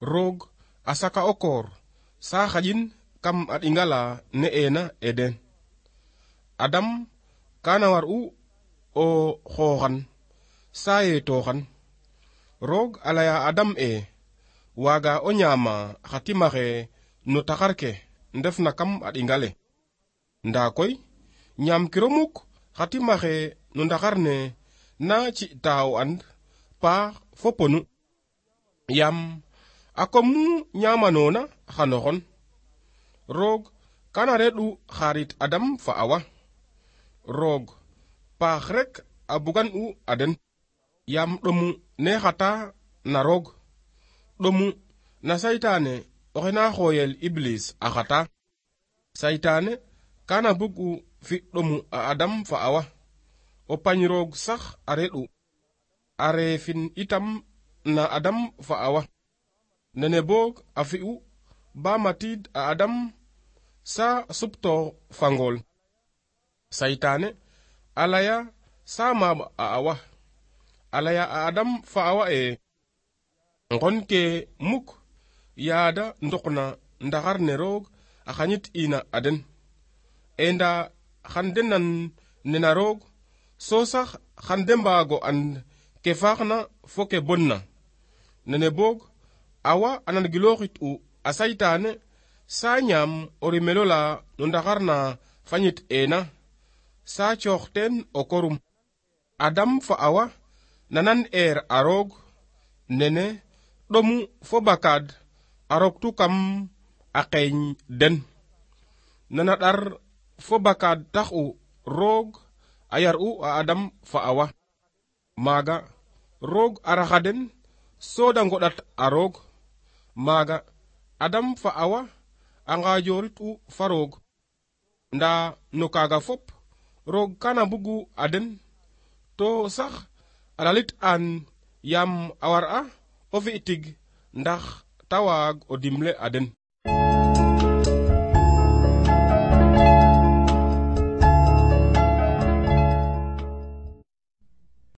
roog a saka o koor sa xaƴin kam a ɗingala ne'ena eden. Adam kana war'u o xooxan sa yeetoxan. Roog a laya Adam waaga o ñaama xa timaxe no taxar ke ndefna kam a ɗingale. Ndaa koy ñaamkiro mukk xa timaxe no ndaxar ne na ci'ta o and paax fo ponu. Yam a kom nu ñaamanoona xano xon. Roog kana reɗ'u xarit Adam fa Awa. Roog paax rek a bugan u a den. Yam ɗomu ne xata na roog. Ɗomu na saytaane oxe na xooyel Iblis a xata. Saytaane kana bug u fi ɗomu a Adam fa Awa. O pañ roog sax a reɗ'u. A reefin itam na Adam fa Awa. Nene boog a fi'u ba matid a Adam sa supto fangol. Saytaane a laya sa maab a Awa. A laya a Adam fa Awa ngon ke muk yaada ndokna ndaxar ne roog a xañit ina a den. Nda xan de nan nena roog so sax xan de mbaago and ke faaxna fo ke bonna. Nene boog Awa a nan gilooxit u a saytaane sa ñaam o rimelo la no ndaxar na fañit ena sa coox teen o korum. Adam fa Awa nanan a roog nene ɗomu fo bakaad a roktu kam a qeeñ den. Nana ɗar fo bakaad tax u roog a yar u a Adam fa Awa. Maaga roog a raxa den so da ngoɗat a roog. Maaga Adam fa Awa a ngaajorit u fa roog. Ndaa no kaaga fop roog kana bugu a den to sax a lalit an yam a war a o fi tig ndax ta waag o dimle a den.